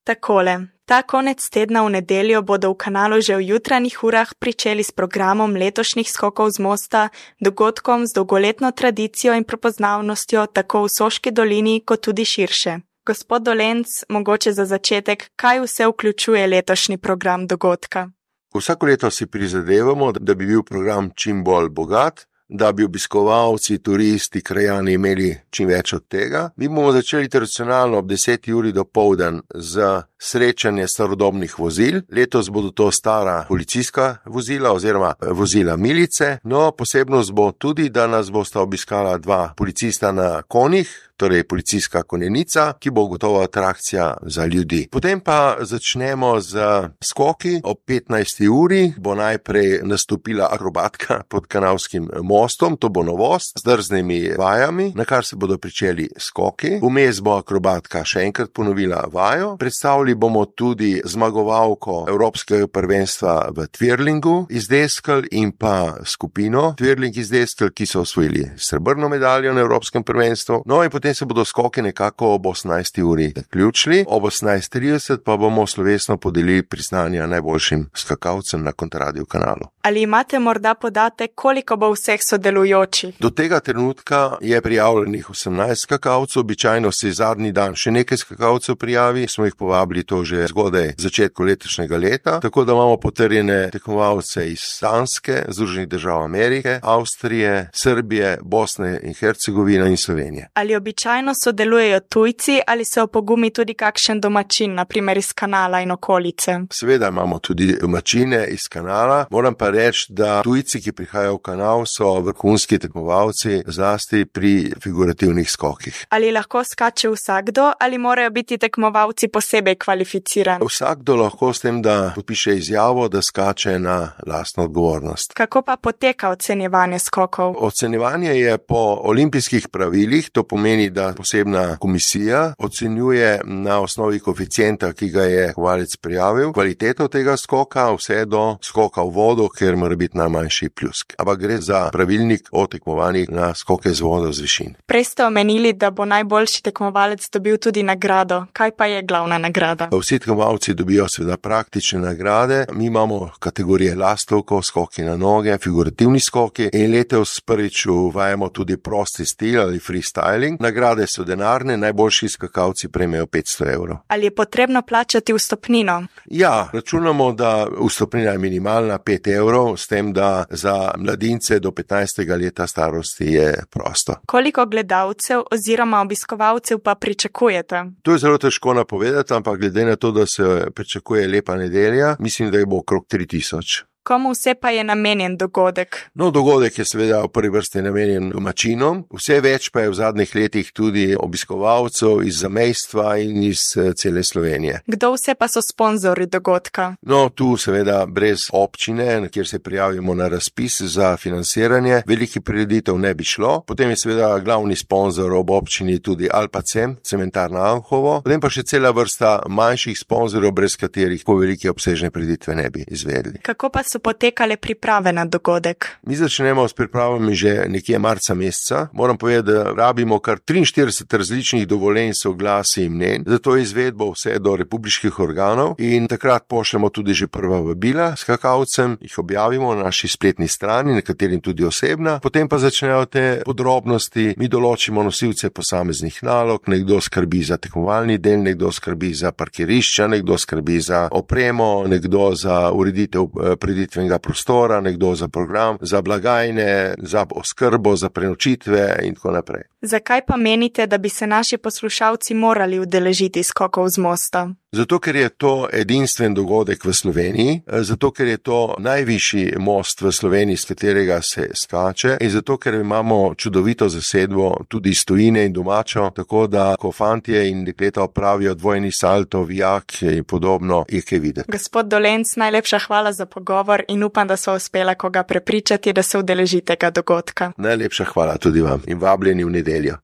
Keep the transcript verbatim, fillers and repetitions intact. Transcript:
Takole, ta konec tedna v nedeljo bodo v kanalu že v jutranjih urah pričeli s programom letošnjih skokov z mosta, dogodkom z dolgoletno tradicijo in prepoznavnostjo tako v Soški dolini kot tudi širše. Gospod Dolenc, mogoče za začetek, kaj vse vključuje letošnji program dogodka? Vsako leto si prizadevamo, da bi bil program čim bolj bogat, da bi obiskovalci, turisti, krajani imeli čim več od tega. Mi bomo začeli tradicionalno ob deseti uri dopoldan z srečanje starodobnih vozil. Letos bodo to stara policijska vozila oziroma vozila milice. No, posebnost bo tudi, da nas bosta obiskala dva policista na konjih, torej policijska konjenica, ki bo gotovo atrakcija za ljudi. Potem pa začnemo z skoki. Ob petnajsti uri bo najprej nastopila akrobatka pod kanalskim mostom, to bo novost, z drznimi vajami, na kar se bodo pričeli skoki. Vmes bo akrobatka še enkrat ponovila vajo. Predstavili bomo tudi zmagovalko Evropskega prvenstva v twirlingu iz deskel in pa skupino twirling iz deskel, ki so osvojili srebrno medaljo na Evropskem prvenstvu. No in potem se bodo skoki nekako ob osemnajsti uri zaključili. Ob osemnajst trideset pa bomo slovesno podelili priznanja najboljšim skakalcem na Kontradio kanalu. Ali imate morda podatek, koliko bo vseh sodelujočih? Do tega trenutka je prijavljenih osemnajst skakalcev, običajno se zadnji dan še nekaj skakalcev prijavi, smo jih povabili to že zgodaj začetku letošnjega leta, tako da imamo potrjene tekmovalce iz Danske, Združenih držav Amerike, Avstrije, Srbije, Bosne in Hercegovine in Slovenije. Ali običajno sodelujejo tujci ali se opogumi tudi kakšen domačin, na primer iz kanala in okolice? Seveda imamo tudi domačine iz kanala. Moram pa reči, da tujci, ki prihajajo v kanal, so vrhunski tekmovalci, zlasti pri figurativnih skokih. Ali lahko skače vsakdo ali morajo biti tekmovalci posebej kvalificirani? Vsakdo lahko s tem, da podpiše izjavo, da skače na lastno odgovornost. Kako pa poteka ocenjevanje skokov? Ocenjevanje je po olimpijskih pravilih, to pomeni, da posebna komisija ocenjuje na osnovi koeficienta, ki ga je tekmovalec prijavil, kvaliteto tega skoka, vse do skoka v vodo, ker mora biti najmanjši pljusk. Ampak gre za pravilnik o tekmovanjih na skoke z vodo z višin. Prej ste omenili, da bo najboljši tekmovalec dobil tudi nagrado. Kaj pa je glavna nagrada? Vsi tekmovalci dobijo seveda praktične nagrade. Mi imamo kategorije lastovkov, skoki na noge, figurativni skoki in letos prvič uvajamo tudi prosti stil ali freestyling. Nagrade so denarne, najboljši skakalci prejmejo petsto evrov. Ali je potrebno plačati vstopnino? Ja, računamo, da vstopnina je minimalna pet evrov, s tem, da za mladince do petnajstega leta starosti je prosto. Koliko gledalcev oziroma obiskovalcev pa pričakujete? To je zelo težko napovedati, ampak glede na to, da se pričakuje lepa nedelja, mislim, da je bo okrog tri tisoč. Komu vse pa je namenjen dogodek? No, dogodek je seveda v prvi vrsti namenjen domačinom, vse več pa je v zadnjih letih tudi obiskovalcev iz zamejstva in iz cele Slovenije. Kdo vse pa so sponzorji dogodka? No, tu seveda brez občine, kjer se prijavimo na razpis za financiranje, velikih prireditev ne bi šlo. Potem je seveda glavni sponzor ob občini tudi Alpacem, cementarna Anhovo, potem pa še cela vrsta manjših sponzorjev, brez katerih po velike obsežne prireditve ne bi izvedli. Kako pa so potekale priprave na dogodek? Mi začnemo s pripravami že nekje marca meseca. Moram povedati, da rabimo kar triinštirideset različnih dovoljenj, soglasij in mnenj, zato je izvedbo vse do republiških organov in takrat pošljemo tudi že prva vabila skakalcem, jih objavimo na naši spletni strani, nekaterim tudi osebna, potem pa začnejo te podrobnosti, mi določimo nosilce posameznih nalog, nekdo skrbi za tekmovalni del, nekdo skrbi za parkirišča, nekdo skrbi za opremo, nekdo za ureditev preditev prostora, nekdo za program, za blagajne, za oskrbo, za prenočitve in tako naprej. Zakaj pa menite, da bi se naši poslušalci morali udeležiti skokov z mosta? Zato, ker je to edinstven dogodek v Sloveniji, zato, ker je to najvišji most v Sloveniji, s katerega se skače in zato, ker imamo čudovito zasedbo tudi iz tujine in domačo, tako da ko fantje in dekleta opravijo dvojni salto, vijak in podobno, je kaj videti. Gospod Dolenc, najlepša hvala za pogovor in upam, da so uspela koga prepričati, da se udeleži tega dogodka. Najlepša hvala tudi vam in vabljeni v nedeljo.